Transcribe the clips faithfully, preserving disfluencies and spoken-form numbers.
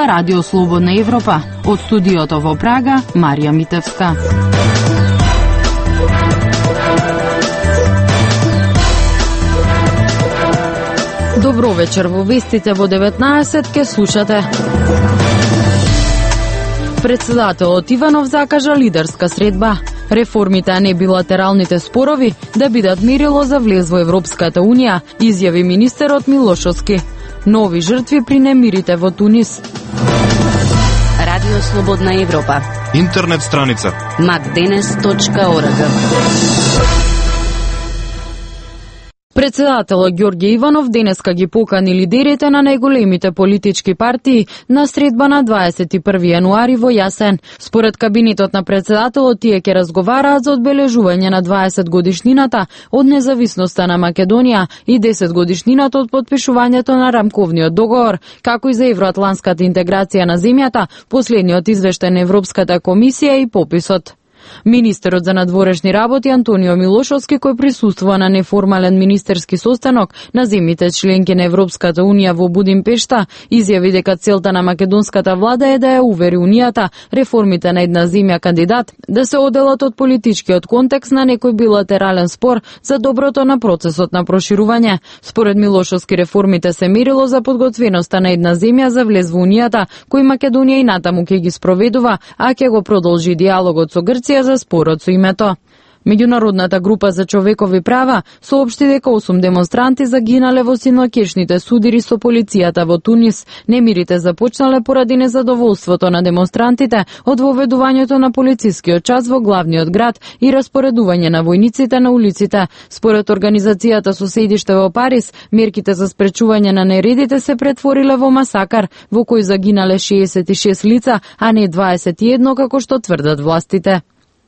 Ова Радио Слободна Европа. Од студиото во Прага, Марија Митевска. Добро вечер, во вестите во деветнаесет ке слушате. Председателот Иванов закажа лидерска средба. Реформите, а не билатералните спорови, да бидат мерило за влез во Европската Унија, изјави министерот Милошовски. Нови жртви при немирите во Тунис. Радио Слободна Европа. Интернет страница макденес точка орг. Председателот Ѓорѓе Иванов денеска ги покани лидерите на најголемите политички партии на средба на дваесет и први јануари во Јасен. Според кабинетот на председателот, тие ќе разговараат за одбележување на дваесет годишнината од независноста на Македонија и десет годишнината од подпишувањето на рамковниот договор, како и за евроатланската интеграција на земјата, последниот извештај на Европската комисија и пописот. Министерот за надворешни работи Антонио Милошовски, кој присуствува на неформален министерски состанок на земјите членки на Европската Унија во Будимпешта, изјави дека целта на македонската влада е да ја увери Унијата реформите на една земја кандидат да се оделат од политичкиот контекст на некој билатерален спор за доброто на процесот на проширување. Според Милошовски, реформите се мерило за подготвеноста на една земја за влез во Унијата, кој Македонија и натаму ќе ги спроведува, а ќе го продолжи диалогот со Грција за спорот со името. Меѓународната група за човекови права соопшти дека осум демонстранти загинале во синоќешните судири со полицијата во Тунис. Немирите започнале поради незадоволството на демонстрантите од воведувањето на полицискиот час во главниот град и распоредување на војниците на улиците. Според организацијата со седиште во Париз, мерките за спречување на нередите се претвориле во масакар, во кој загинале шеесет и шест лица, а не дваесет и едно како што тврдат властите.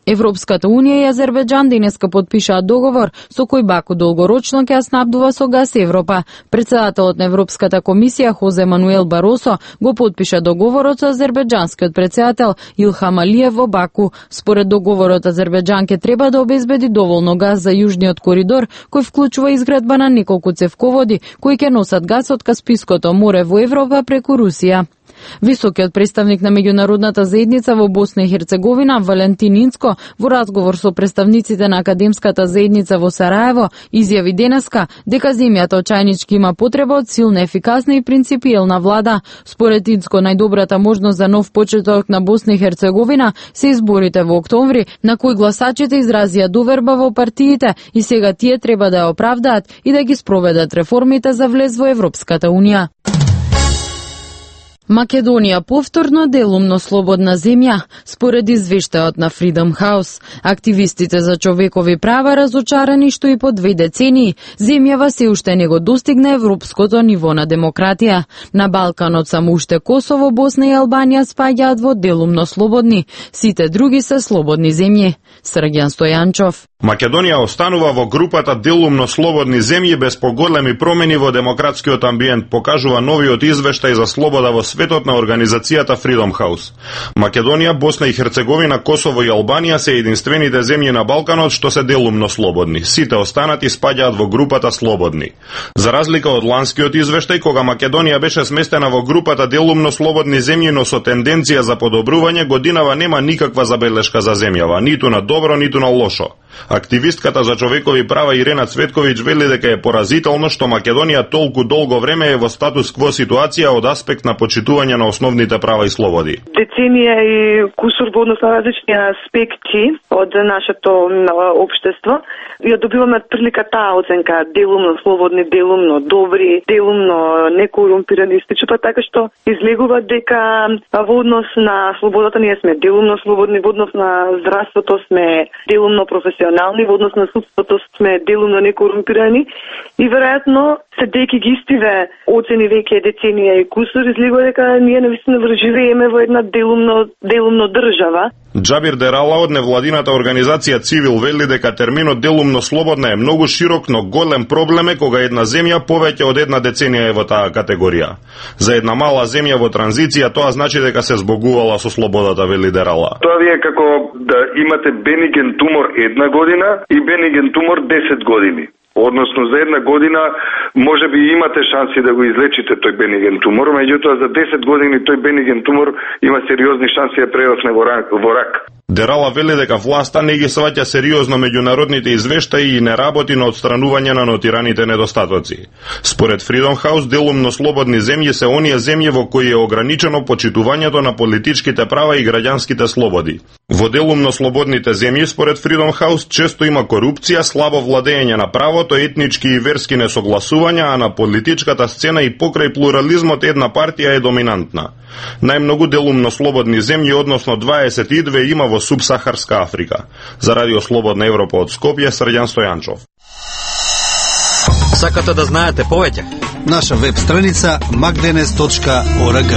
Европската Унија и Азербејџан денеска подпишаа договор со кој Баку долгорочно ќе ја снабдува со газ Европа. Председателот на Европската комисија Хозе Мануел Баросо го подпиша договорот со азербејџанскиот председател Илхам Алиев во Баку. Според договорот, Азербејџан ќе треба да обезбеди доволно газ за јужниот коридор, кој вклучува изградба на неколку цевководи кои ќе носат газ од Каспиското море во Европа преку Русија. Високиот представник на меѓународната заедница во Босна и Херцеговина, Валентин Инцко, во разговор со представниците на академската заедница во Сараево, изјави денеска дека земјата очајнички има потреба од силна, ефикасна и принципиелна влада. Според Инцко, најдобрата можност за нов почеток на Босна и Херцеговина се изборите во октомври, на кои гласачите изразија доверба во партиите и сега тие треба да ја оправдаат и да ги спроведат реформите за влез во Европската Унија. Македонија повторно делумно слободна земја, според извештајот на Freedom House. Активистите за човекови права разочарани што и по две децении земјава се уште не го достигна европското ниво на демократија. На Балканот само уште Косово, Босна и Албанија спаѓаат во делумно слободни, сите други се слободни земји. Срѓан Стојанчов. Македонија останува во групата делумно слободни земји без поголеми промени во демократскиот амбиент, покажува новиот извештај за слобода во светот на организацијата Freedom House. Македонија, Босна и Херцеговина, Косово и Албанија се единствените земји на Балканот што се делумно слободни. Сите останати спаѓаат во групата слободни. За разлика од ланскиот извештај, кога Македонија беше сместена во групата делумно слободни земји, но со тенденција за подобрување, годинава нема никаква забелешка за земјава, ниту на добро, ниту на лошо. Активистката за човекови права Ирена Цветковиќ вели дека е поразително што Македонија толку долго време е во статус кво ситуација од аспект на почитување на основните права и слободи. Деценија и кусур во однос на различни аспекти од нашето општество. Ја добиваме прилика таа оценка делумно слободни, делумно добри, делумно некорумпирани, па така што излегува дека во однос на слободата ние сме делумно слободни, во однос на здравството сме делумно професионални, во однос на судството сме делумно некорумпирани и веројатно седејќи ги истиве оцени веќе деценија и кусур, излегува дека ние навистина живееме во една делумно делумно држава. Џабир Дерала од невладината организација Цивил вели дека терминот делумно слободна е многу широк, но голем проблем е кога една земја повеќе од една деценија е во таа категорија. За една мала земја во транзиција тоа значи дека се збогувала со слободата, вели Дерала. Тоа ви е како да имате бениген тумор една година и бениген тумор десет години. Односно за една година може би имате шанси да го излечите тој бениген тумор, меѓутоа за десет години тој бениген тумор има сериозни шанси да прерасне во рак. Во рак. Дерала вели дека власта не ги сваќа сериозно меѓународните извештаи и не работи на отстранување на нотираните недостатоци. Според Freedom House, делумно слободни земји се оние земји во кои е ограничено почитувањето на политичките права и граѓанските слободи. Во делумно слободните земји, според Freedom House, често има корупција, слабо владење на правото, етнички и верски несогласувања, а на политичката сцена и покрај плурализмот една партија е доминантна. Најмногу делумно слободни земји, односно дваесет и две, има во субсахарска Африка. За Радио Слободна Европа од Скопје, Срđan Стојанчов. Сакате да знаете повеќе? Наша веб страница макденес точка орг.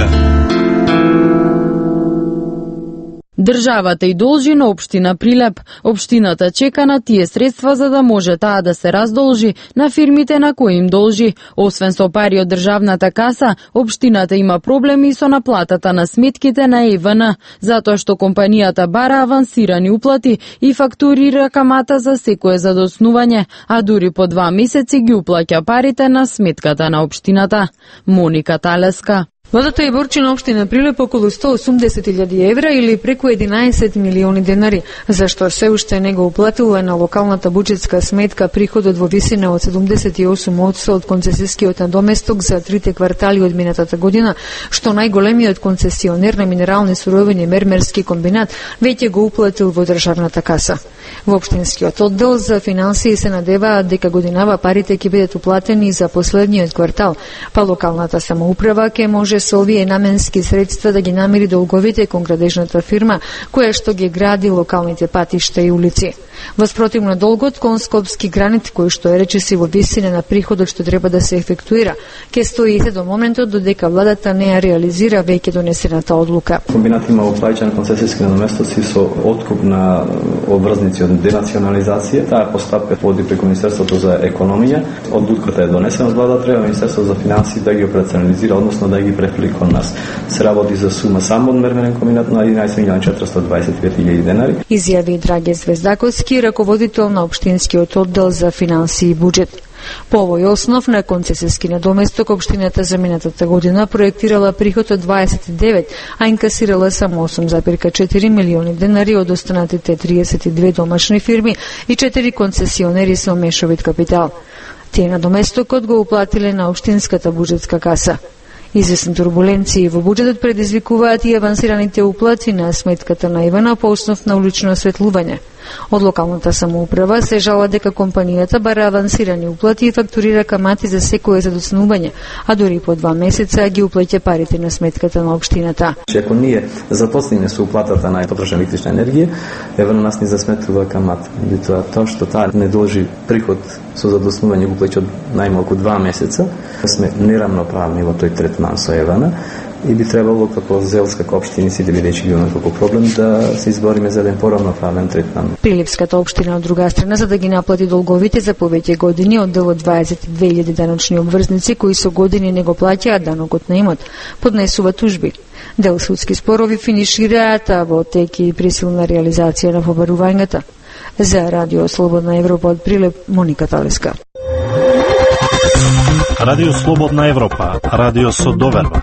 Државата и должи на општина Прилеп. Општината чека на тие средства за да може таа да се раздолжи на фирмите на кои им должи. Освен со пари од државната каса, општината има проблеми со наплатата на сметките на Е В Н, затоа што компанијата бара авансирани уплати и фактурира камата за секое задоснување, а дури по два месеци ги уплаќа парите на сметката на општината. Моника Талеска. Владата е борчи на општина Прилеп околу сто и осумдесет илјади евра или преку единаесет милиони денари, зашто се уште не го уплатила на локалната буџетска сметка приходот во висина од седумдесет и осум одсто од концесискиот надоместок за трите квартали од минатата година, што најголемиот концесионер на минерални суровини Мермерски комбинат веќе го уплатил во државната каса. Во општинскиот оддел за финансии се надеваат дека годинава парите ќе бидат уплатени за последниот квартал, па локалната самоуправа ќе може со овие наменски средства да ги намири долговите кон градежната фирма, која што ги гради локалните патишта и улици. Воспротивно долгот кон Скопски гранит, кој што е речиси во висина на приходот што треба да се ефектуира, ќе стоите до моментот додека владата не ја реализира веќе донесената одлука. Комбинат има уплаќан концесиски надоместоци со откуп на обврзници од денационализација. Таа постапка води преку Министерството за економија. Одлуката е донесена од владата, треба Министерството за финансии да ги операционализира, односно да ги префли кон нас. Се работи за сума само од Мермерен комбинат на единаесет милиони четиристотини дваесет и пет илјади денари. Изјави Драге Звездаковски, раководител на општинскиот оддел за финансии и буџет. По овој основ на концесиски надоместок општината за минатата година проектирала приход од дваесет и девет, а инкасирала само осум зарез четири милиони денари од останатите триесет и две домашни фирми и четири концесионери со мешовит капитал. Тие надоместокот го уплатиле на општинската буџетска каса. Известни турбуленции во буџетот предизвикуваат и авансираните уплати на сметката на Е В Н по основ на улично осветлување. Од локалната самоуправа се жала дека компанијата бара авансирани уплати и фактурира камати за секое задоснување, а дури по два месеца ги уплаќа парите на сметката на општината. Ако ние започнеме со уплатата на потрошена електрична енергија, Е В Н нас не засметува камата. Тоа тоа што таа не должи приход со задоснување го плаќа најмалку два месеца, сме неравноправни во тој третман со Е В Н. И би требало како зелска општини си да бидејќи ги имаме како проблем да се избориме за еден поравноправен третман. Прилепската општина од друга страна за да ги наплати долговите за повеќе години оддел од дваесет и две илјади даночни обврзници кои со години не го плаќаат данокот на имот, поднесува тужби. Дел судски спорови финишираат, а во тек и присилна реализација на побарувањата. За Радио Слободна Европа од Прилеп, Моника Талеска. Радио Слободна Европа, радио со доверба.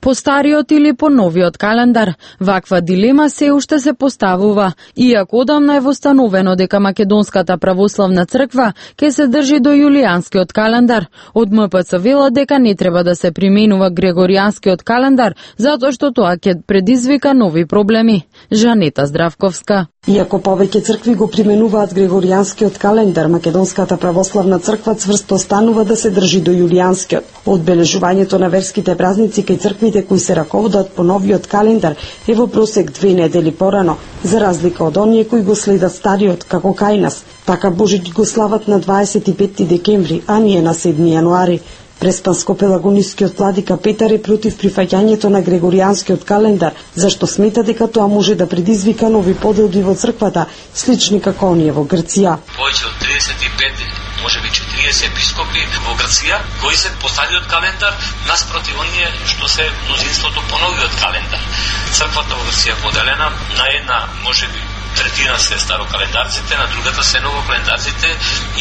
По стариот или по новиот календар, ваква дилема се уште се поставува, иако одамна е востановено дека Македонската православна црква ќе се држи до јулијанскиот календар. Од М П Ц велат дека не треба да се применува Грегоријанскиот календар, затоа што тоа ќе предизвика нови проблеми. Жанета Здравковска. Иако повеќе цркви го применуваат Грегоријанскиот календар, Македонската православна црква цврсто останува да се држи до јулијанскиот. Одбележувањето на верските празници кај црквите кои се раководат по новиот календар е во просек две недели порано, за разлика од оние кои го следат стариот, како кај нас. Така Божич го слават на дваесет и петти декември, а ние на седми јануари. Преспанско-пелагонискиот владика Петар е против прифаќањето на Грегоријанскиот календар, зашто смета дека тоа може да предизвика нови поделби во црквата, слични како оние во Грција. Повеќе од триесет и пет, можеби четириесет епископи во Грција кои се по стариот календар наспроти оние што се мнозинството по новиот календар. Црквата во Грција поделена на една, можеби третина се старокалендарците, на другата се новокалендарците.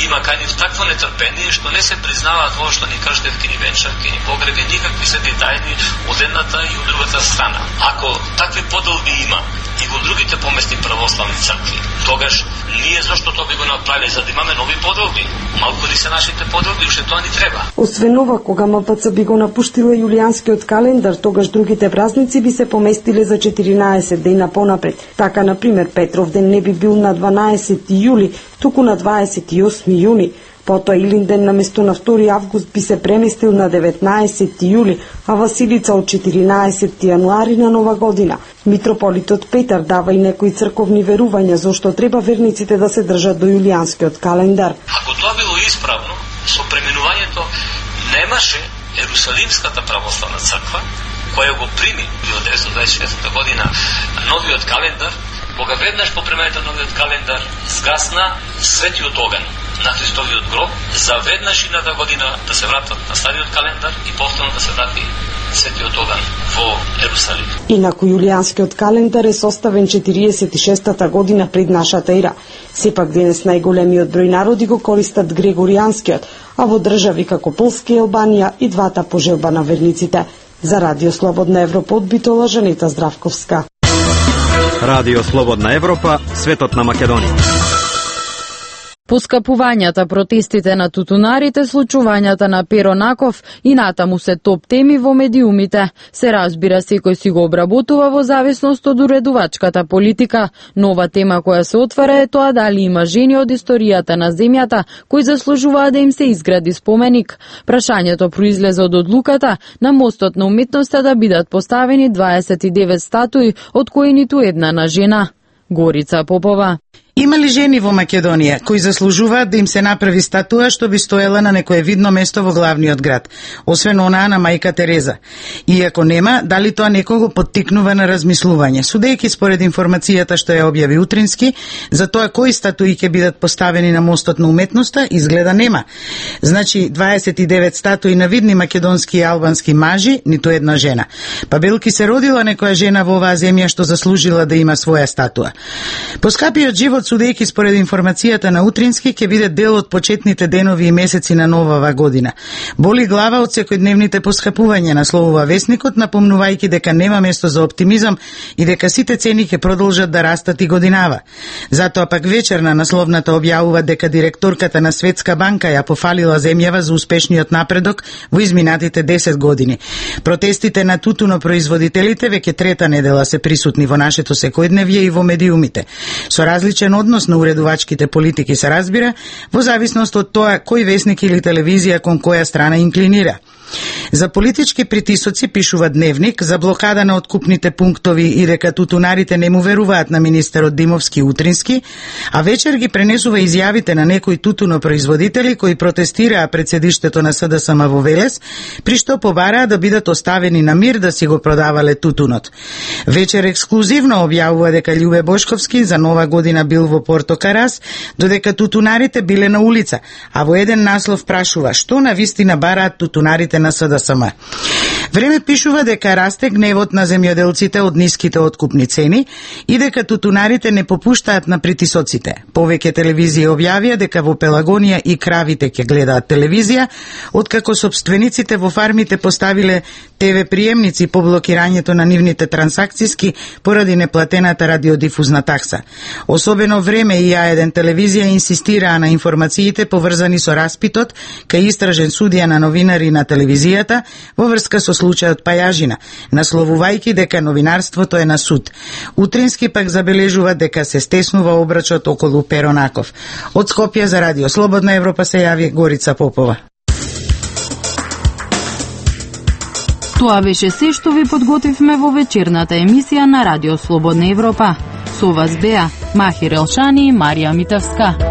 Има кај нив такво нетрпение што не се признава тоа што ни кажете ки ни венчавки, ни погреби, никакви се детајни од едната и од другата страна. Ако такви поделби има и во другите поместни православни цркви, тогаш ние зашто тоа би го направиле, за да имаме нови поделби? Малку ли се нашите поделби, уште тоа ни треба. Освен ова, кога М П Ц би го напуштила јулијанскиот календар, тогаш другите празници би се поместиле за четиринаесет дена понапред. Така, например, Петров ден не би бил на дванаесети јули, туку на дваесет и осми јуни. Потоа Илинден наместо на втори август би се преместил на деветнаесети јули, а Василица од четиринаесети јануари на нова година. Митрополитот Петар дава и некои црковни верувања зошто треба верниците да се држат до јулијанскиот календар. Ако тоа било исправно, со пременувањето немаше Ерусалимската православна црква, која го прими во деветстотини дваесет и шеста година новиот календар, кога веднаш по премењето новиот календар сгасна светиот оган на Христовиот гроб, за веднаш идната година да се вратат на стариот календар и повторно да се врати светиот оган во Ерусалим. Инаку јулијанскиот календар е составен четириесет и шестата година пред нашата ера. Сепак денес најголемиот број народи го користат Грегоријанскиот, а во држави како Полска и Албанија и двата по желба на верниците. За Радио Слободна Европа од Битола, Жанета Здравковска. Радио Слободна Европа, светот на Македонија. Поскапувањата, протестите на тутунарите, случувањата на Перо Наков и натаму се топ теми во медиумите. Се разбира, секој си го обработува во зависност од уредувачката политика. Нова тема која се отвара е тоа дали има жени од историјата на земјата кои заслужуваат да им се изгради споменик. Прашањето произлезе од одлуката на мостот на уметноста да бидат поставени дваесет и девет статуи, од кои ниту една на жена. Горица Попова. Има ли жени во Македонија кои заслужуваат да им се направи статуа што би стоела на некое видно место во главниот град, освен онаа на мајка Тереза? И ако нема, дали тоа некого поттикнува на размислување? Судејќи според информацијата што ја објави Утрински, за тоа кои статуи ќе бидат поставени на мостот на уметноста, изгледа нема. Значи, дваесет и девет статуи на видни македонски и албански мажи, ниту една жена. Па белки се родила некоја жена во оваа земја што заслужила да има своја статуа. Поскапиот живот, судејќи според информацијата на Утрински, ќе биде дел од почетните денови и месеци на новава година. Боли глава од секојдневните поскапувања, насловува весникот, напомнувајќи дека нема место за оптимизам и дека сите цени ќе продолжат да растат и годинава. Затоа пак вечерна насловната објавува дека директорката на Светска банка ја пофалила земјава за успешниот напредок во изминатите десет години. Протестите на тутунопроизводителите веќе трета недела се присутни во нашето секојдневје и во медиумите. Со различен однос на уредувачките политики се разбира, во зависност од тоа кој весник или телевизија кон која страна инклинира. За политички притисоци пишува Дневник, за блокада на откупните пунктови и дека тутунарите не му веруваат на министерот Димовски Утрински, а вечер ги пренесува изјавите на некои тутунопроизводители кои протестираа пред седиштето на С Д С М во Велес, при што побараа да бидат оставени на мир да си го продавале тутунот. Вечер ексклузивно објавува дека Љубе Бошковски за нова година бил во Порто Карас, додека тутунарите биле на улица, а во еден наслов прашува што на вистина бараат тутунарите на С Д С М. Време пишува дека расте гневот на земјоделците од ниските откупни цени и дека тутунарите не попуштаат на притисоците. Повеќе телевизија објавија дека во Пелагонија и кравите ќе гледаат телевизија, откако собствениците во фармите поставиле Т В приемници по блокирањето на нивните трансакциски поради неплатената радиодифузна такса. Особено Време и Ја еден телевизија инсистираа на информациите поврзани со распитот кај истражен судија на новинари на телевизијата во врска со случајот Пајажина, насловувајќи дека новинарството е на суд. Утрински пак забележува дека се стеснува обрачот околу Перо Наков. Од Скопје за Радио Слободна Европа се јави Горица Попова. Тоа беше се што ви подготвивме во вечерната емисија на Радио Слободна Европа. Со вас беа Махир Елшани и Марија Митевска.